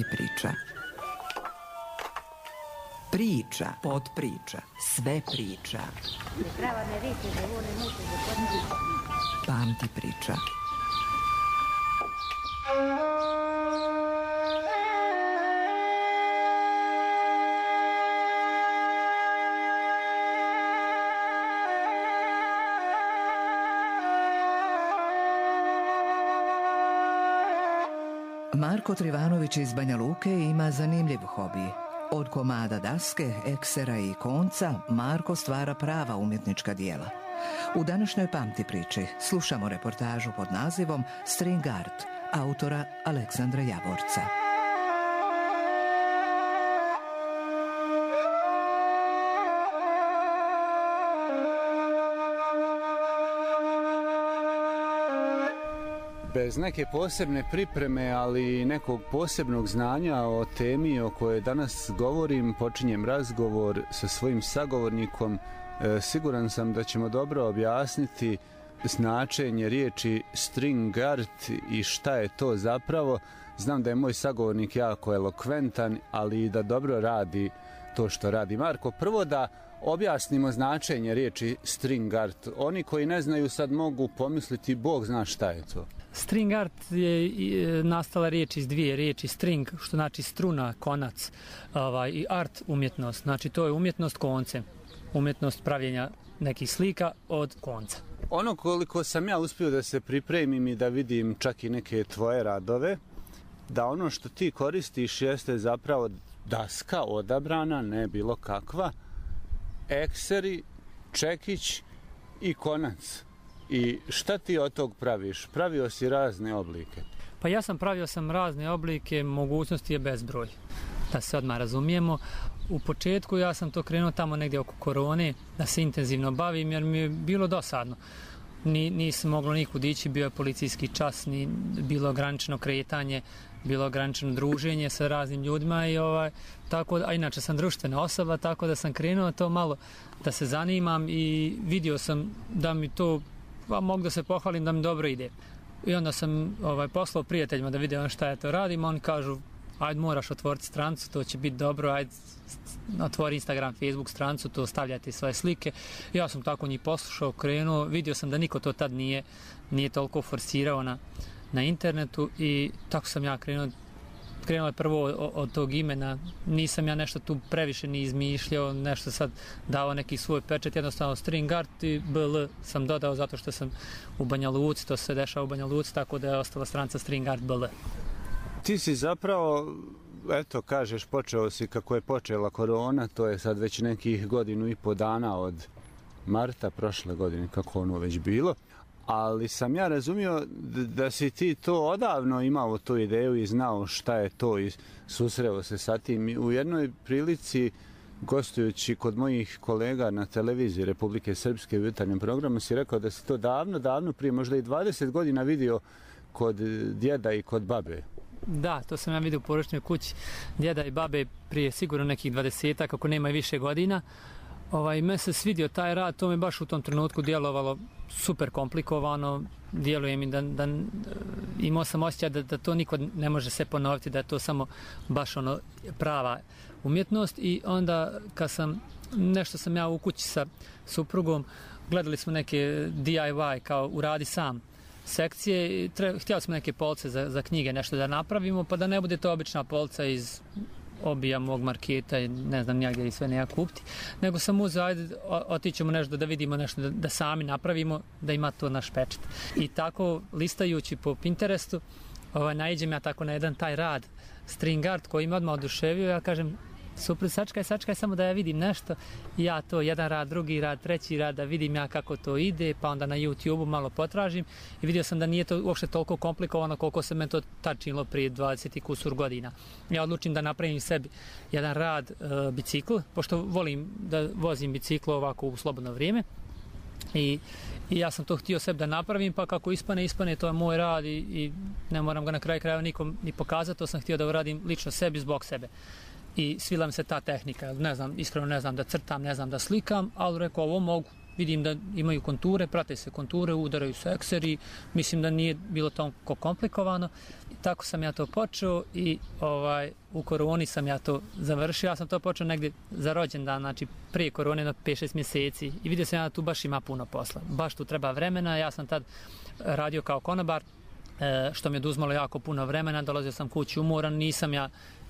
Pamti priča. Priča, podpriča, sve priča. Pamti priča. Marko Trivanović iz Banja Luke ima zanimljiv hobi. Od komada daske, eksera i konca Marko stvara prava umjetnička dijela. U današnjoj Pamti priči slušamo reportažu pod nazivom String Art autora Aleksandra Javorca. Bez neke posebne pripreme, ali i nekog posebnog znanja o temi o kojoj danas govorim, počinjem razgovor sa svojim sagovornikom. Siguran sam da ćemo dobro objasniti značenje riječi string art i šta je to zapravo. Znam da je moj sagovornik jako elokventan, ali i da dobro radi to što radi. Marko, prvo da objasnimo značenje riječi string art. Oni koji ne znaju sad mogu pomisliti, Bog zna šta je to. String art je nastala riječ iz dvije riječi. String, što znači struna, konac, i art, umjetnost. Znači to je umjetnost koncem. Umjetnost pravljenja nekih slika od konca. Ono koliko sam ja uspio da se pripremim i da vidim čak i neke tvoje radove, da ono što ti koristiš jeste zapravo daska odabrana, ne bilo kakva, ekseri, čekić i konac. I šta ti od tog praviš? Pravio si razne oblike. Pa ja sam pravio razne oblike, mogućnosti je bezbroj. Da se odmah razumijemo. U početku ja sam to krenuo tamo negdje oko korone, da se intenzivno bavim, jer mi je bilo dosadno. Nisam moglo nikud ići, bio je policijski čas, bilo ograničeno kretanje, bilo ograničeno druženje sa raznim ljudima i tako, a inače sam društvena osoba, tako da sam krenuo to malo da se zanimam i vidio sam da mi to, mogu da se pohvalim da mi dobro ide. I onda sam poslao prijateljima da vide šta ja to radim, oni kažu ajde moraš otvoriti strancu, to će biti dobro, ajde otvori Instagram, Facebook strancu, to stavljati svoje slike. Ja sam tako njih poslušao, krenuo, vidio sam da niko to tad nije toliko forsirao na internetu i tako sam ja krenuo je prvo od tog imena, nisam ja nešto tu previše ni izmišljao, nešto sad dao neki svoj pečet, jednostavno string art i BL sam dodao zato što sam u Banja Luci, to se dešava u Banja Luci, tako da je ostala stranca string art BL. Ti si zapravo, eto kažeš, počeo si kako je počela korona, to je sad već nekih 1.5 dana od marta prošle godine, kako ono već bilo. Ali sam ja razumio da si ti to odavno imao tu ideju i znao šta je to i susreo se sa tim. U jednoj prilici, gostujući kod mojih kolega na televiziji Republike Srpske u jutarnjem programu, si rekao da si to davno prije, možda i 20 godina vidio kod djeda i kod babe. Da, to sam ja vidio u porodičnoj kući djeda i babe prije sigurno nekih 20, kako nema i više godina. Me se svidio taj rad, to mi baš u tom trenutku djelovalo super komplikovano, djeluje mi da imao sam osjećaj da to niko ne može se ponoviti, da je to samo baš prava umjetnost. I onda kad nešto sam ja u kući sa suprugom, gledali smo neke DIY kao uradi sam sekcije, htjeli smo neke police za knjige nešto da napravimo, pa da ne bude to obična polica iz obija mog marketa i ne znam nijagdje i sve ne ja kupiti, nego sam uzeo, ajde otićemo nešto da vidimo nešto, da sami napravimo, da ima to naš pečat. I tako listajući po Pinterestu, naiđem ja tako na jedan taj rad string art koji me odmah oduševio, ja kažem super, sačkaj samo da ja vidim nešto, ja to jedan rad, drugi rad, treći rad, da vidim ja kako to ide, pa onda na YouTube-u malo potražim i vidio sam da nije to uopšte toliko komplikovano koliko se meni to tad činilo prije 20 i kusur godina. Ja odlučim da napravim sebi jedan rad bicikl, pošto volim da vozim bicikl ovako u slobodno vrijeme i ja sam to htio sebi da napravim, pa kako ispane, to je moj rad i ne moram ga na kraju krajeva nikom ni pokazati, to sam htio da uradim lično sebi, zbog sebe. I svila mi se ta tehnika, iskreno ne znam da crtam, ne znam da slikam, ali rekao ovo mogu, vidim da imaju konture, prate se konture, udaraju se ekseri, mislim da nije bilo toliko komplikovano. I tako sam ja to počeo i u koroni sam ja to završio. Ja sam to počeo negdje za rođendan, znači prije korone na 5-6 mjeseci i vidio sam ja da tu baš ima puno posla. Baš tu treba vremena, ja sam tad radio kao konobar, što mi je oduzmalo jako puno vremena, dolazio sam kući umoran, nisam ja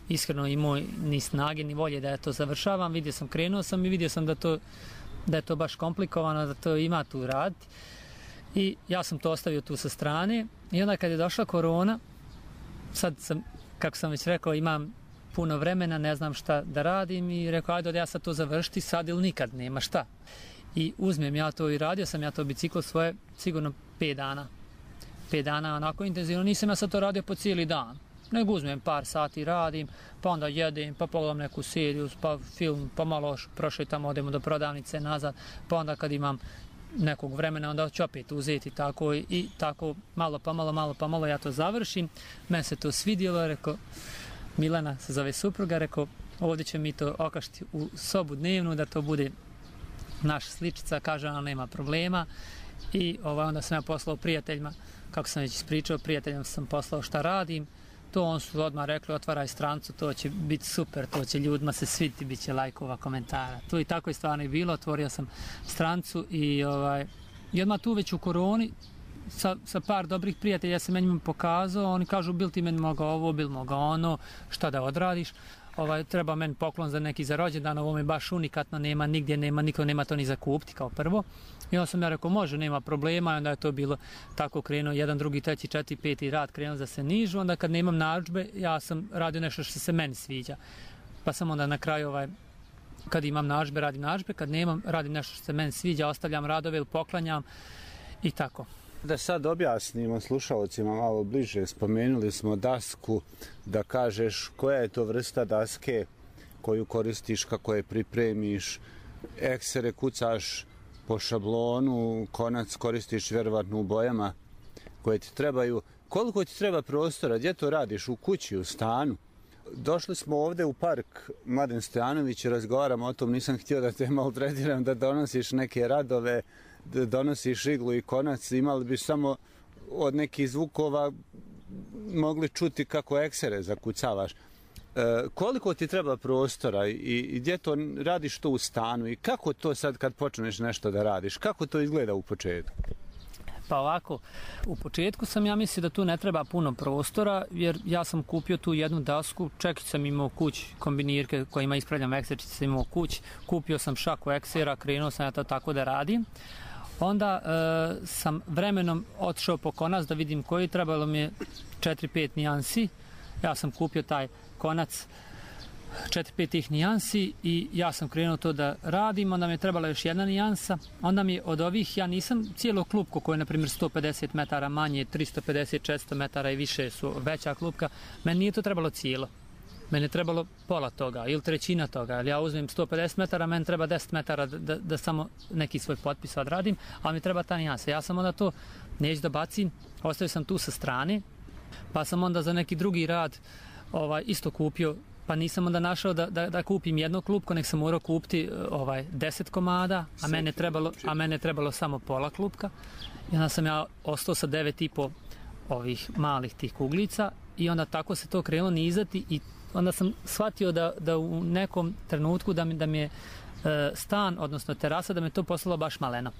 iskreno imao ni snage ni volje da ja to završavam, krenuo sam i vidio sam da je to baš komplikovano, da to ima tu raditi. I ja sam to ostavio tu sa strane i onda kad je došla korona, sad sam, kako sam već rekao, imam puno vremena, ne znam šta da radim i rekao, ajde ja sad to završiti sad ili nikad, nema šta. I uzmem ja to i radio sam ja to biciklo svoje sigurno 5 dana. 5 dana onako intenzivno, nisam ja sad to radio po cijeli dan. Nego uzmem par sati, radim, pa onda jedem, pa pogledam neku seriju, pa film, pa malo prošetam, odemo do prodavnice nazad, pa onda kad imam nekog vremena, onda ću opet uzeti tako i tako malo pa malo ja to završim. Meni se to svidjelo, rekao, Milena se zove supruga, rekao, ovdje će mi to okašiti u sobu dnevnu, da to bude naša sličica, kaže ona nema problema. I onda sam ja poslao prijateljima, kako sam već ispričao, prijateljima sam poslao šta radim. To on su odmah rekli, otvaraj strancu, to će biti super, to će ljudima se svidjeti, bit će lajkova, komentara. To i tako je stvarno i bilo, otvorio sam strancu i odmah tu već u koroni sa par dobrih prijatelja se meni pokazao, oni kažu bil ti meni mogao ovo, bil mogao ono, šta da odradiš. Treba meni poklon za neki za rođendan, ovo mi baš unikatno, nema nigdje, niko nema to ni za kupiti kao prvo. I onda sam ja rekao, može, nema problema, i onda je to bilo tako krenuo, 1, 2, 3, 4, 5 rad krenuo da se nižu, onda kad nemam narudžbe, ja sam radio nešto što se meni sviđa. Pa sam onda na kraju, kad imam narudžbe, radim narudžbe, kad nemam, radim nešto što se meni sviđa, ostavljam radove ili poklanjam i tako. Da sad objasnimo slušalcima malo bliže, spomenuli smo dasku, da kažeš koja je to vrsta daske koju koristiš, kako je pripremiš, eksere kucaš po šablonu, konac koristiš vjerovatno u bojama koje ti trebaju. Koliko ti treba prostora, gdje to radiš, u kući, u stanu? Došli smo ovdje u park Mladen Stojanović i razgovaramo o tom, nisam htio da te maltretiram, da donosiš neke radove, da donosiš iglu i konac, imali bi samo od nekih zvukova mogli čuti kako eksere zakucavaš. Koliko ti treba prostora i gdje to radiš to u stanu i kako to sad kad počneš nešto da radiš, kako to izgleda u početku? Pa ovako, u početku sam ja mislio da tu ne treba puno prostora, jer ja sam kupio tu jednu dasku, čekić sam imao kući, kombinirke kojima ispravljam ekserčice sam imao kući, kupio sam šaku eksera, krenuo sam ja to tako da radim. Onda sam vremenom otišao po konac da vidim koji, trebalo mi je 4-5 nijansi. Ja sam kupio taj konac 4-5 tih nijansi i ja sam krenuo to da radim, onda mi je trebala još jedna nijansa. Onda mi od ovih, ja nisam cijelo klupko koje je na primjer 150 metara manje, 350-400 metara i više su veća klupka, meni nije to trebalo cijelo. Meni je trebalo pola toga ili trećina toga. Ja uzmem 150 metara, meni treba 10 metara da samo neki svoj potpis odradim, ali mi treba ta nijansa. Ja sam onda to neću da bacim, ostavio sam tu sa strane, pa sam onda za neki drugi rad isto kupio, pa nisam onda našao da kupim jedno klupko, nek sam morao kupiti 10 komada, a mene je trebalo samo pola klupka. I onda sam ja ostao sa 9,5 ovih malih tih kuglica i onda tako se to krenulo nizati i onda sam shvatio da u nekom trenutku da mi je stan, odnosno terasa, da me to postalo baš maleno.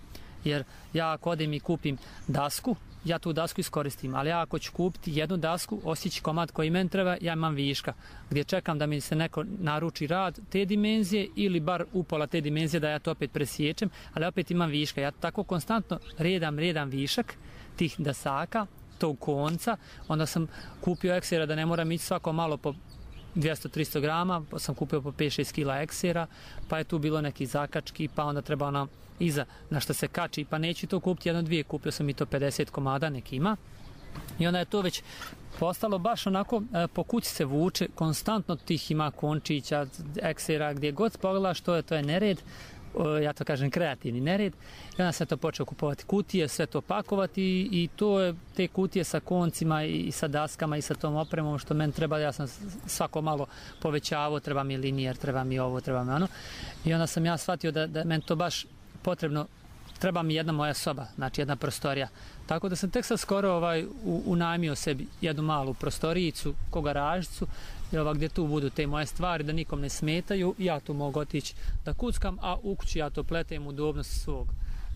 Jer ja ako odem i kupim dasku, ja tu dasku iskoristim, ali ja ako ću kupiti jednu dasku, osjeći komad koji meni treba, ja imam viška, gdje čekam da mi se neko naruči rad te dimenzije ili bar upola te dimenzije da ja to opet presječem, ali opet imam viška. Ja tako konstantno redam višak tih dasaka, tog konca, onda sam kupio eksera da ne moram ići svako malo po 200-300 grama, pa sam kupio po 5-6 kila eksera, pa je tu bilo neki zakački, pa onda treba iza na što se kači, pa neću to kupiti 1-2, kupio sam i to 50 komada, neki ima. I onda je to već postalo baš onako, po kući se vuče, konstantno tih ima končića, eksera, gdje god pogledaš, to je nered, ja to kažem kreativni nered. I onda sam to počeo kupovati kutije, sve to pakovati i to je te kutije sa koncima i sa daskama i sa tom opremom što meni treba, ja sam svako malo povećavao, treba mi linijer, treba mi ovo, treba mi ono. I onda sam ja shvatio da meni to baš potrebno treba mi jedna moja soba, znači jedna prostorija. Tako da sam tek sad skoro unajmio sebi jednu malu prostorijicu, ko garažicu, gdje tu budu te moje stvari, da nikom ne smetaju, ja tu mogu otići da kuckam, a u kući ja to pletem udobnost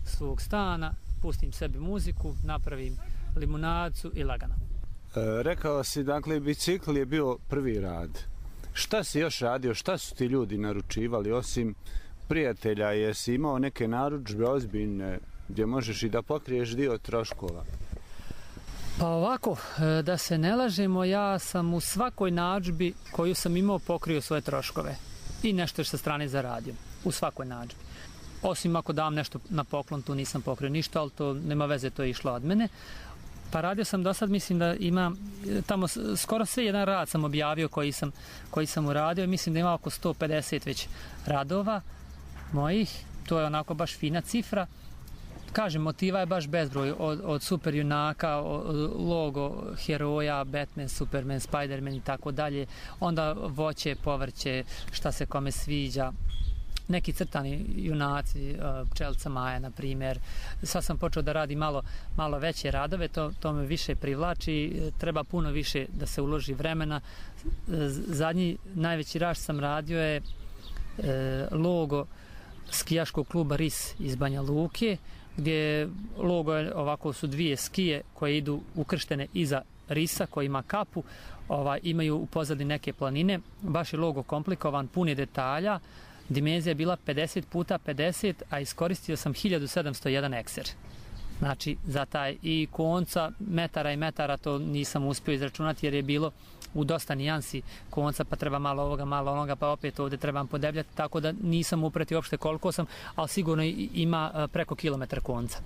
svog stana, pustim sebi muziku, napravim limunadicu i lagano. Rekao si, dakle, bicikl je bio prvi rad. Šta si još radio, šta su ti ljudi naručivali, osim prijatelja, jesi imao neke narudžbe ozbiljne gdje možeš i da pokriješ dio troškova? Pa ovako, da se ne lažemo, ja sam u svakoj narudžbi koju sam imao pokrio svoje troškove i nešto sa strane zaradio, u svakoj narudžbi. Osim ako dam nešto na poklon, tu nisam pokrio ništa, ali to nema veze, to je išlo od mene. Pa radio sam do sad, mislim da ima, tamo skoro sve jedan rad sam objavio koji sam uradio, mislim da ima oko 150 već radova mojih, to je onako baš fina cifra. Kažem, motiva je baš bezbroj, od super junaka, logo heroja, Batman, Superman, Spiderman i tako dalje, onda voće, povrće, šta se kome sviđa, neki crtani junaci, pčelica Maja, na primjer. Sad sam počeo da radi malo veće radove, to me više privlači, treba puno više da se uloži vremena. Zadnji najveći rad sam radio je logo skijaškog kluba RIS iz Banja Luke, gdje logo je ovako, su dvije skije koje idu ukrštene iza risa koji ima kapu, imaju u pozadini neke planine, baš je logo komplikovan, pun je detalja, dimenzija je bila 50 puta 50, a iskoristio sam 1701 ekser. Znači, za taj i konca metara i metara to nisam uspio izračunati jer je bilo u dosta nijansi konca, pa treba malo ovoga, malo onoga, pa opet ovdje trebam podebljati, tako da nisam upretio uopšte koliko sam, ali sigurno ima preko kilometar konca.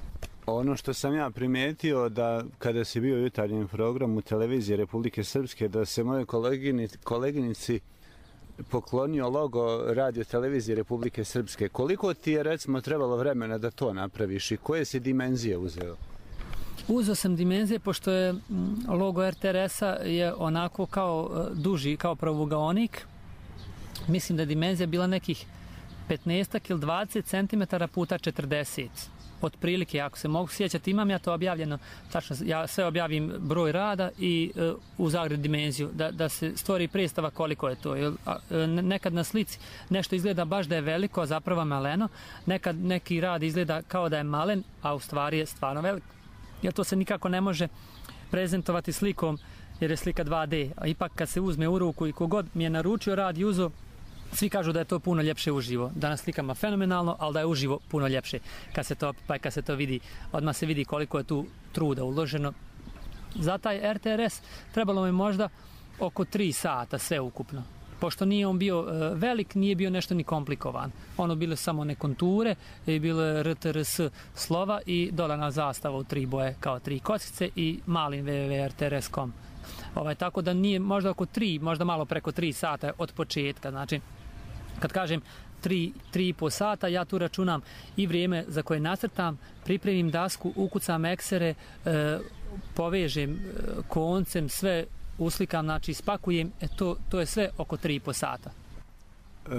Ono što sam ja primijetio da kada si bio u jutarnjem programu televizije Republike Srpske, da se moje koleginici poklonio logo radio televizije Republike Srpske. Koliko ti je, recimo, trebalo vremena da to napraviš i koje si dimenzije uzeo? Uzeo sam dimenzije, pošto je logo RTRS-a je onako kao duži, kao pravovugaonik. Mislim da je dimenzija bila nekih 15 ili 20 cm puta 40. Otprilike, ako se mogu sjećati, imam ja to objavljeno, tačno, ja sve objavim broj rada i u zagred dimenziju, da se stvori predstava koliko je to. Nekad na slici nešto izgleda baš da je veliko, a zapravo maleno, nekad neki rad izgleda kao da je malen, a u stvari je stvarno veliko. Jer to se nikako ne može prezentovati slikom, jer je slika 2D, a ipak kad se uzme u ruku i kogod mi je naručio rad i uzo, svi kažu da je to puno ljepše uživo, da na slikama fenomenalno, ali da je uživo puno ljepše. Kad se to vidi, odmah se vidi koliko je tu truda uloženo. Za taj RTRS trebalo mi možda oko 3 sata sve ukupno. Pošto nije on bio velik, nije bio nešto ni komplikovan. Ono bile samo one konture, bilo je RTRS slova i dolana zastava u 3 boje kao 3 kockice i malim www.rtrs.com. Tako da nije možda oko 3, možda malo preko 3 sata od početka. Znači, kad kažem 3,5 sata, ja tu računam i vrijeme za koje nacrtam, pripremim dasku, ukucam eksere, povežem koncem, sve uslikam, znači spakujem, to je sve oko 3,5 sata.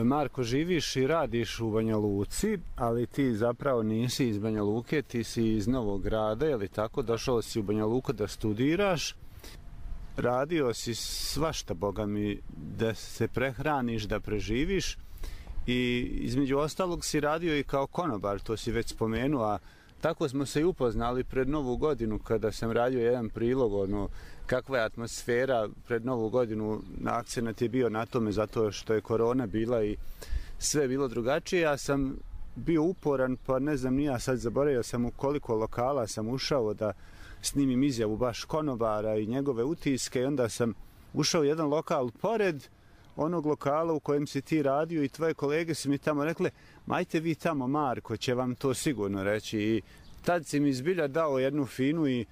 Marko, živiš i radiš u Banja Luci, ali ti zapravo nisi iz Banja Luke, ti si iz Novog Grada, je li tako? Došao si u Banja Luku da studiraš, radio si svašta, Boga mi, da se prehraniš, da preživiš i između ostalog si radio i kao konobar, to si već spomenuo, a tako smo se i upoznali pred Novu godinu kada sam radio jedan prilog, kakva je atmosfera pred Novu godinu, akcenat je bio na tome zato što je korona bila i sve je bilo drugačije. Ja sam bio uporan, pa ne znam, ni ja sad zaboravio sam u koliko lokala sam ušao da snimim izjavu baš konobara i njegove utiske i onda sam ušao u jedan lokal pored onog lokala u kojem si ti radio i tvoje kolege su mi tamo rekle, majte vi tamo, Marko će vam to sigurno reći. I tad si mi zbilja dao jednu finu i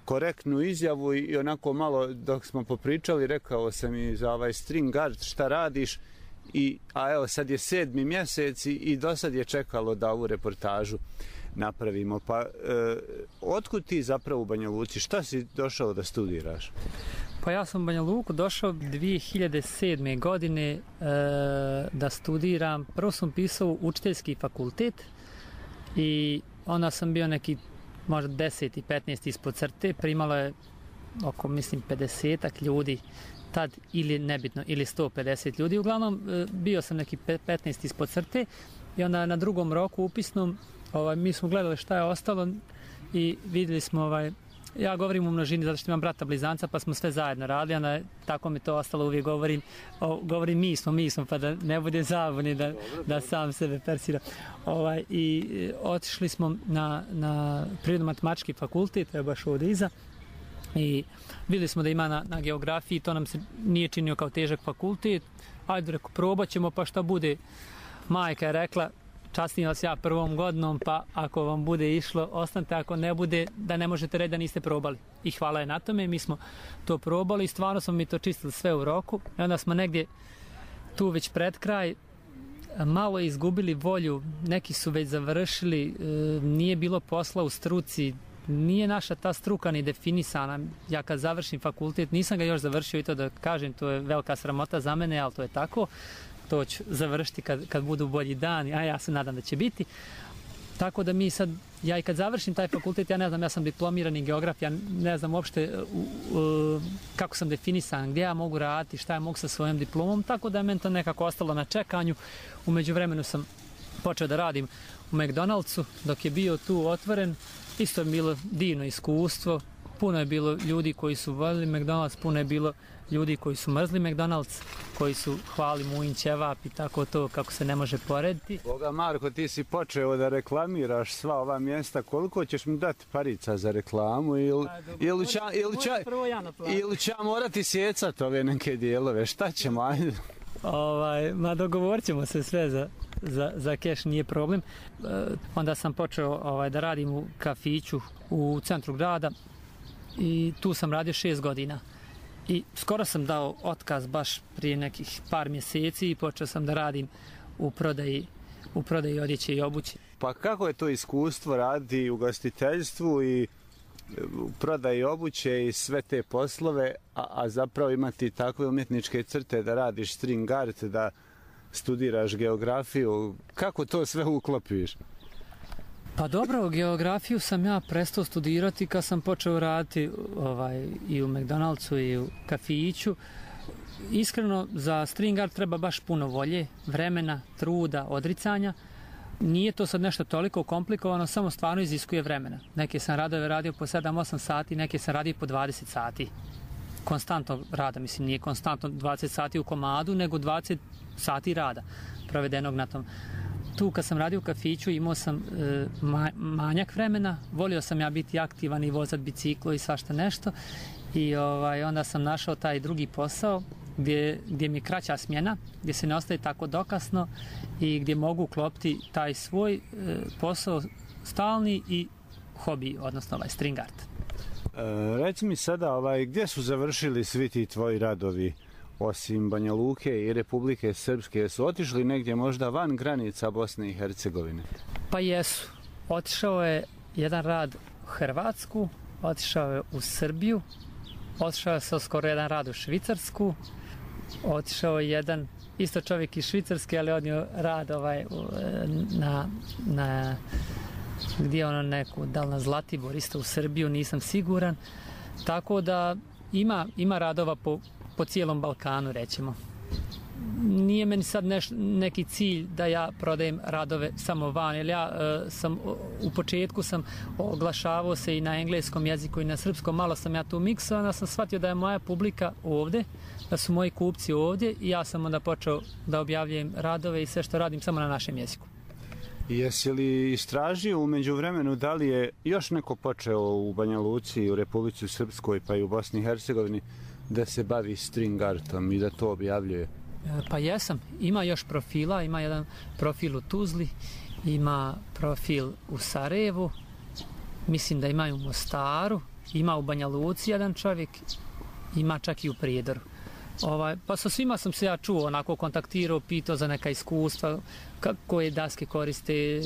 korektnu izjavu i onako malo dok smo popričali rekao sam i za ovaj string art šta radiš, a evo sad je 7. mjesec i do sad je čekalo da ovu reportažu napravimo. Pa otkud ti zapravo u Banja Luci? Šta si došao da studiraš? Pa ja sam u Banja Luku došao 2007. godine da studiram. Prvo sam pisao učiteljski fakultet i onda sam bio neki možda 10. i 15. ispod crte, primalo je oko, mislim, 50 ljudi tad, ili nebitno, ili 150 ljudi. Uglavnom, bio sam neki 15 ispod crte i onda na drugom roku upisnom mi smo gledali šta je ostalo i vidjeli smo, ja govorim u množini zato što imam brata blizanca, pa smo sve zajedno radili, onda tako mi to ostalo, uvijek govorim mi smo, pa da ne bude zabuni da sam sebe persiram. I otišli smo na prirodno-matematički fakultet, to je baš ovdje iza, i vidjeli smo da ima na geografiji, to nam se nije činio kao težak fakultet, ajde, reko, probat ćemo, pa šta bude. Majka je rekla, častim vas ja prvom godinom, pa ako vam bude išlo, ostanite, ako ne bude, da ne možete reći da niste probali. I hvala je na tome, mi smo to probali i stvarno smo mi to čistili sve u roku. I onda smo negdje tu već pred kraj malo izgubili volju, neki su već završili, nije bilo posla u struci, nije naša ta struka ni definisana. Ja kad završim fakultet, nisam ga još završio i to da kažem, to je velika sramota za mene, ali to je tako. To ću završiti kad budu bolji dani, a ja se nadam da će biti. Tako da mi sad, ja i kad završim taj fakultet, ja ne znam, ja sam diplomirani geograf, ja ne znam uopšte kako sam definisan, gdje ja mogu raditi, šta ja mogu sa svojom diplomom, tako da je meni to nekako ostalo na čekanju. U međuvremenu sam počeo da radim u McDonald'su, dok je bio tu otvoren, isto je bilo divno iskustvo, puno je bilo ljudi koji su voljeli McDonald's, puno je bilo ljudi koji su mrzli McDonald's, koji su hvali Mujin ćevap i tako to, kako se ne može porediti. Boga Marko, ti si počeo da reklamiraš sva ova mjesta, koliko ćeš mi dati parica za reklamu ili će morati sjecati ove neke dijelove, šta ćemo, ajde? Ma dogovorit ćemo se sve za keš, nije problem. Onda sam počeo da radim u kafiću u centru grada i tu sam radio 6 godina. I skoro sam dao otkaz baš prije nekih par mjeseci i počeo sam da radim u prodaji odjeće i obuće. Pa kako je to iskustvo raditi u gostiteljstvu i u prodaji obuće i sve te poslove, a zapravo imati takve umjetničke crte da radiš string art, da studiraš geografiju, kako to sve uklopiš? Pa dobro, geografiju sam ja prestao studirati kad sam počeo raditi i u McDonald'su i u kafiću. Iskreno, za string art treba baš puno volje, vremena, truda, odricanja. Nije to sad nešto toliko komplikovano, samo stvarno iziskuje vremena. Neke sam radove radio po 7-8 sati, neke sam radio po 20 sati. Konstantno rada, mislim, nije konstantno 20 sati u komadu, nego 20 sati rada provedenog na tom. Tu kad sam radio u kafiću imao sam manjak vremena, volio sam ja biti aktivan i vozati biciklo i svašta nešto i onda sam našao taj drugi posao gdje mi je kraća smjena, gdje se ne ostaje tako dokasno i gdje mogu uklopiti taj svoj posao stalni i hobi, odnosno string art. Reci mi sada, gdje su završili svi ti tvoji radovi? Osim Banja Luke i Republike Srpske, su otišli negdje možda van granica Bosne i Hercegovine? Pa jesu. Otišao je jedan rad u Hrvatsku, otišao je u Srbiju, otišao je skoro jedan rad u Švicarsku, otišao je jedan isto čovjek iz Švicarske, ali odnio rad na gdje ono neku, da li na Zlatibor, isto u Srbiju, nisam siguran. Tako da ima radova po cijelom Balkanu, rećemo. Nije meni sad neki cilj da ja prodajem radove samo van, jer ja u početku sam oglašavao se i na engleskom jeziku i na srpskom, malo sam ja tu miksao, onda sam shvatio da je moja publika ovdje, da su moji kupci ovdje i ja sam onda počeo da objavljujem radove i sve što radim samo na našem jeziku. Jesi li istražio u međuvremenu da li je još neko počeo u Banja Luci, u Republici Srpskoj pa i u Bosni i Hercegovini da se bavi string artom i da to objavljuje? Pa jesam. Ima još profila. Ima jedan profil u Tuzli, ima profil u Sarajevu, mislim da ima i u Mostaru, ima u Banja Luci jedan čovjek, ima čak i u Prijedoru. Pa sa svima sam se ja čuo, onako kontaktirao, pitao za neka iskustva, koje daske koriste,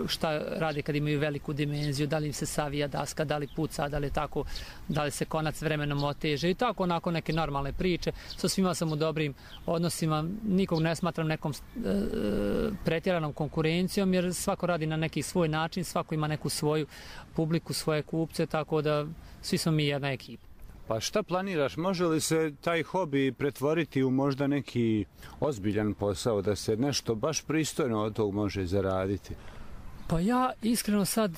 šta rade kad imaju veliku dimenziju, da li im se savija daska, da li puca, da li tako, da li se konac vremenom oteže i tako onako neke normalne priče. Sa svima sam u dobrim odnosima, nikog ne smatram nekom pretjeranom konkurencijom, jer svako radi na neki svoj način, svako ima neku svoju publiku, svoje kupce, tako da svi smo mi jedna ekipa. Pa šta planiraš? Može li se taj hobi pretvoriti u možda neki ozbiljan posao, da se nešto baš pristojno od tog može zaraditi? Pa ja iskreno sad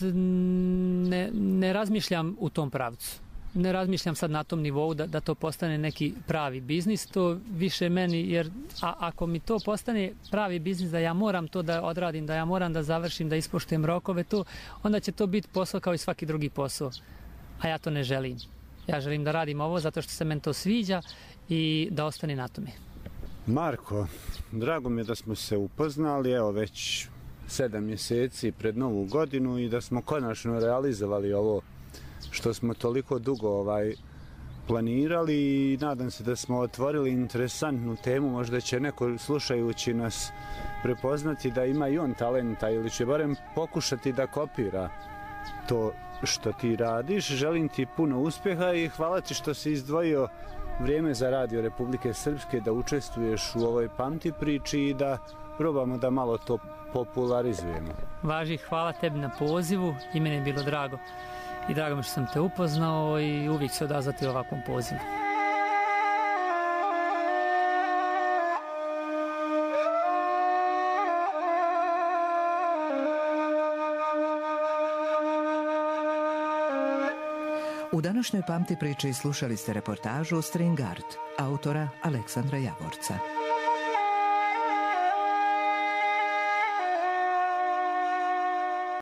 ne razmišljam u tom pravcu. Ne razmišljam sad na tom nivou da to postane neki pravi biznis. To više meni, jer ako mi to postane pravi biznis, da ja moram to da odradim, da ja moram da završim, da ispoštujem rokove, onda će to biti posao kao i svaki drugi posao. A ja to ne želim. Ja želim da radim ovo zato što se meni to sviđa i da ostane na tome. Marko, drago mi je da smo se upoznali, evo već 7 mjeseci pred Novu godinu i da smo konačno realizovali ovo što smo toliko dugo planirali i nadam se da smo otvorili interesantnu temu, možda će neko slušajući nas prepoznati da ima i on talenta ili će barem pokušati da kopira to što ti radiš. Želim ti puno uspjeha i hvala ti što si izdvojio vrijeme za Radio Republike Srpske, da učestvuješ u ovoj pamti priči i da probamo da malo to popularizujemo. Važi, hvala tebi na pozivu i meni je bilo drago. I drago mi što sam te upoznao i uvijek se odazvati ovakvom pozivu. U današnjoj pamti priči slušali ste reportažu String Art, autora Aleksandra Javorca.